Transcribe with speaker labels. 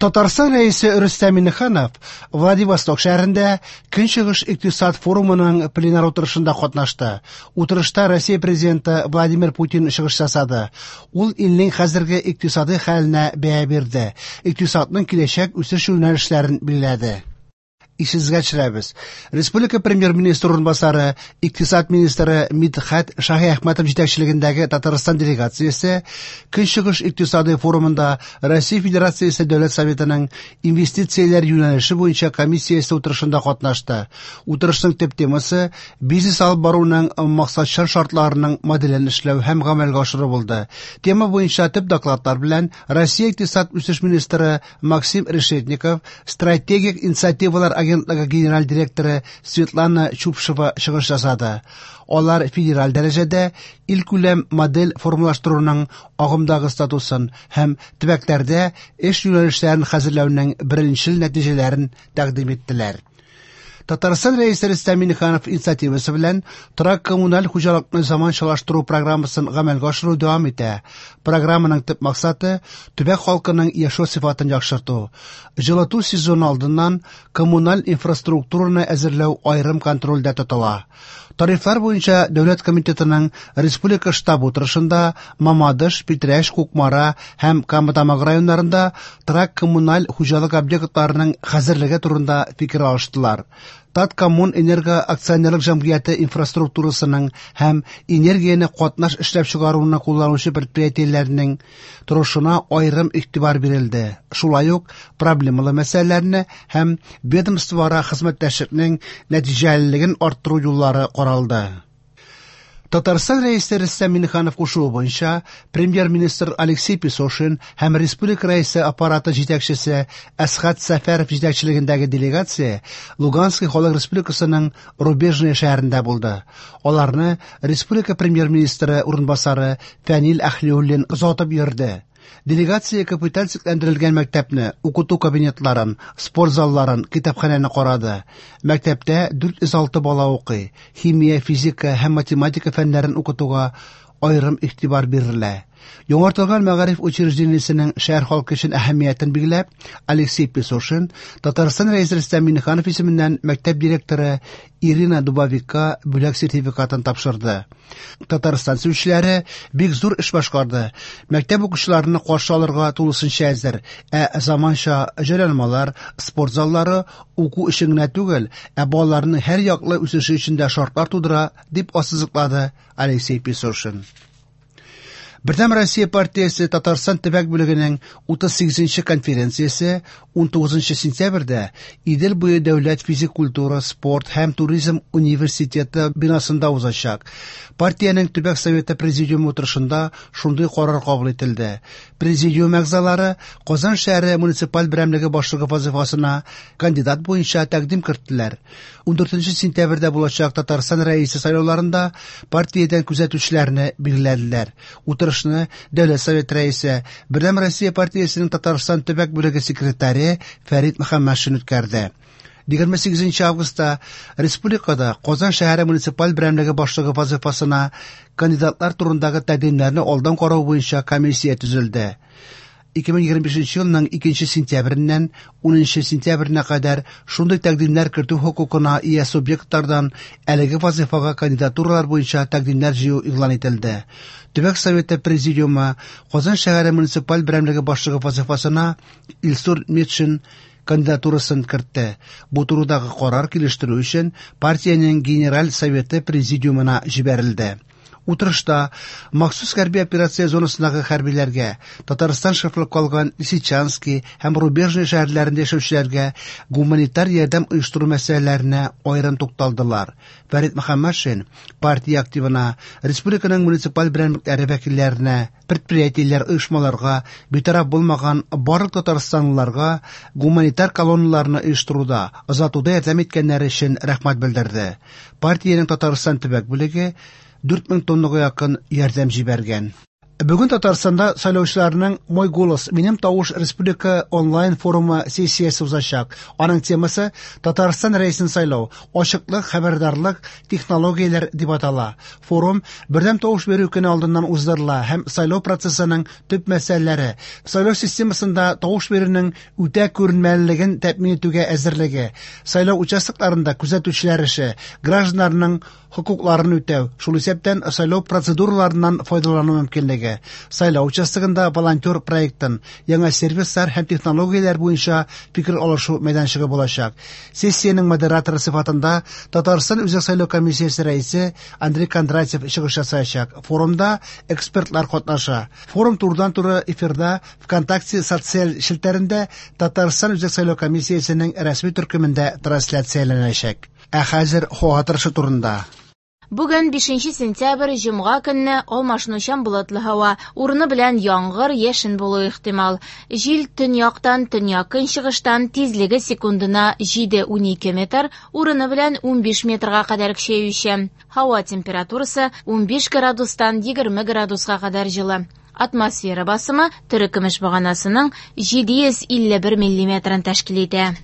Speaker 1: Татарстан Рәисе Рөстәм Миңнеханов Владивосток шәһәрендә Көнчыгыш икътисад форумының пленар утырышында катнашты. Утырышта Россия Президенты Владимир Путин чыгыш ясады. Ул илнең хәзерге икътисадый хәленә бәя бирде, икътисадның киләчәк үсеш юнәлешләрен билгеләде. Исегезгә төшерәбез. Республика премьер-министры урынбасары, икътисад министры Мидхәт Шаһиәхмәтов җитәкчелегендәге Татарстан делегациясе Көнчыгыш икътисадый форумында Россия Федерациясе Дәүләт Советының инвестицияләр юнәлеше буенча комиссиясе утырышында катнашты. Утырышның төп темасы бизнес алып баруның максатчан шартларының моделен эшләү һәм гамәлгә ашыру булды. Тема буенча төп докладлар белән Россия икътисад үсеш министры Максим Решетников, Стратегик инициативалар агентлыгы генераль директоры Светлана Чупшева чыгыш ясады. Алар федераль дәрәҗәдә илкүләм модель формалаштыруның агымдагы статусын һәм төбәкләрдә эш юнәлешләрен хәзерләүнең беренчел нәтиҗәләрен тәкъдим иттеләр. Татарстан Рәисе Рөстәм Миңнеханов инициативасы белән торак-коммуналь хуҗалыкны заманчалаштыру программасын гамәлгә ашыру дәвам итә. Программаның төп максаты төбәк халкының яшәү сыйфатын яхшырту. Җылыту сезоны алдыннан коммуналь инфраструктураны әзерләү аерым контрольдә тотыла. Тарифлар буенча дәүләт комитетының республика штабы утырышында Мамадыш, Питрәч, Кукмара һәм Кама Тамагы районнарында торак-коммуналь хуҗалык объектларының хәзерлеге турында фикер алыштылар. Таткоммунэнерго акционерлык җәмгыяте инфраструктурасының һәм энергияне катнаш эшләп чыгаруны кулланучы предприятиеләрнең торышына аерым игътибар бирелде. Шулай ук проблемалы мәсьәләләрне һәм ведомствоара хезмәттәшлекнең нәтиҗәлелеген арттыру юллары каралды. Татарстан Рәисе Рөстәм Миңнеханов кушуы буенча премьер-министр Алексей Песошин һәм республика Рәисе аппараты җитәкчесе Әсхәт Сәфәров җитәкчелегендәге делегация Луганский халык республикасының Рубежное шәһәрендә булды. Аларны республика премьер-министры урынбасары Фәнил Әһлиуллин озатып йөрде. Делегация капиталь төзекләндерелгән мәктәпне, укыту кабинетларын, спорт залларын, китапханәне карады. Мәктәптә 406 бала укый. Химия, физика һәм математика фәннәрен укытуга аерым игътибар бирелә. Яңартылган мәгариф учреждениесенең шәһәр халкы өчен әһәмиятен билгеләп, Алексей Песошин Татарстан Рәисе Рөстәм Миңнеханов исеменнән мәктәп директоры Ирина Дубовикка бүләк сертификатын тапшырды. Татарстан сөючеләре бик зур эш башкарды. Мәктәп укучыларны каршы алырга тулысынча әзер, ә заманча җайланмалар, спорт заллары уку өчен генә түгел, ә балаларның һәр яклы үсеше өчен дә шартлар тудыра, дип ассызыклады Алексей Песошин. Бердәм Россия партиясе Татарстан төбәк бүлегенең 38 нче конференциясе 19 сентябрьдә Идел буе дәүләт физик культура, спорт һәм туризм университеты бинасында узачак. Партиянең төбәк советы президиумы утырышында шундый карар кабул ителде. Президиум әгъзалары Казан шәһәре муниципаль берәмлеге башлыгы вазыйфасына кандидат буенча тәкъдим керттеләр. 14 сентябрьдә булачак Татарстан Рәисе сайлауларында партиядән күзәтүчеләрне билгеләделәр. Утырышны Дәүләт Советы Рәисе, Бердәм Россия партиясенең Татарстан төбәк бүлеге секретаре Фәрит Мөхәммәтшин үткәрде. 28 августта республикада Казан шәһәре муниципаль берәмлеге башлыгы вазыйфасына кандидатлар турындагы тәкъдимнәрне алдан карау буенча комиссия төзелде. 2025 елның 2 сентябреннән 10 сентябренә кадәр шундый тәкъдимнәр кертү хокукына ия субъектлардан әлеге вазыйфага кандидатуралар буенча тәкъдимнәр җыю игълан ителде. Төбәк Советы Президиумы Казан шәһәре муниципаль берәмлеге башлыгы вазыйфасына Илсур Метшин кандидатурасын кертте. Бу турыдагы карар килештерү өчен партиянең Генераль Советы Президиумына җибәрелде. Утырышта махсус хәрби операция зонасындагы хәрбиләргә, Татарстан шефлык калган Лисичанский һәм Рубежный шәһәрләрендә яшәүчеләргә гуманитар ярдәм оештыру мәсьәләләренә аерым тукталдылар. Фәрит Мөхәммәтшин партия активына, республиканың муниципаль берәмлекләре вәкилләренә, предприятиеләр, оешмаларга, битараф булмаган барлык татарстанлыларга гуманитар колонналарны оештыруда, озатуда ярдәм иткәннәре өчен рәхмәт белдерде. Партиянең Татарстан төбәк бүлеге 4000 тоннага якын ярдәм җибәргән. Бүген Татарстанда сайлаучыларның «Мой голос. Минем тавыш» республика онлайн-форумы сессиясе узачак. Аның темасы «Татарстан Рәисен сайлау: ачыклык, хәбәрдарлык, технологияләр» дип атала. Форум бердәм тавыш бирү көне алдыннан уздырыла һәм сайлау процессының төп мәсьәләләре, сайлау системасында тавыш бирүнең үтә күренмәлелеген тәэмин итүгә әзерлеге, сайлау участокларында күзәтүчеләр эше, гражданнарның хокукларын үтәү, шул исәптән сайлау процедураларыннан файдалану мөмкинлеге, сайлау участогында волонтер проектын, яңа сервислар һәм технологияләр буенча фикер алышу мәйданчыгы булачак. Сессиянең модераторы сыйфатында Татарстан Үзәк сайлау комиссиясе рәисе Андрей Кондратьев чыгыш ясаячак. Форумда экспертлар катнаша. Форум турыдан-туры эфирда ВКонтакте социаль челтәрендә Татарстан Үзәк сайлау комиссиясенең рәсми төркемендә трансляцияләнәчәк. Ә хәзер һава торышы турында.
Speaker 2: Бүген 5 сентябрь, җомга көнне алмашынучан болытлы һава, урыны белән яңгыр, яшен булуы ихтимал. Җил төньяктан, төньяк-көнчыгыштан, тизлеге секундына 7-12 метр, урыны белән 15 метрга кадәр көчәючән. Һава температурасы 15 градустан 20 градуска кадәр җылы. Атмосфера басымы терекөмеш баганасының 751 миллиметрын тәшкил итә.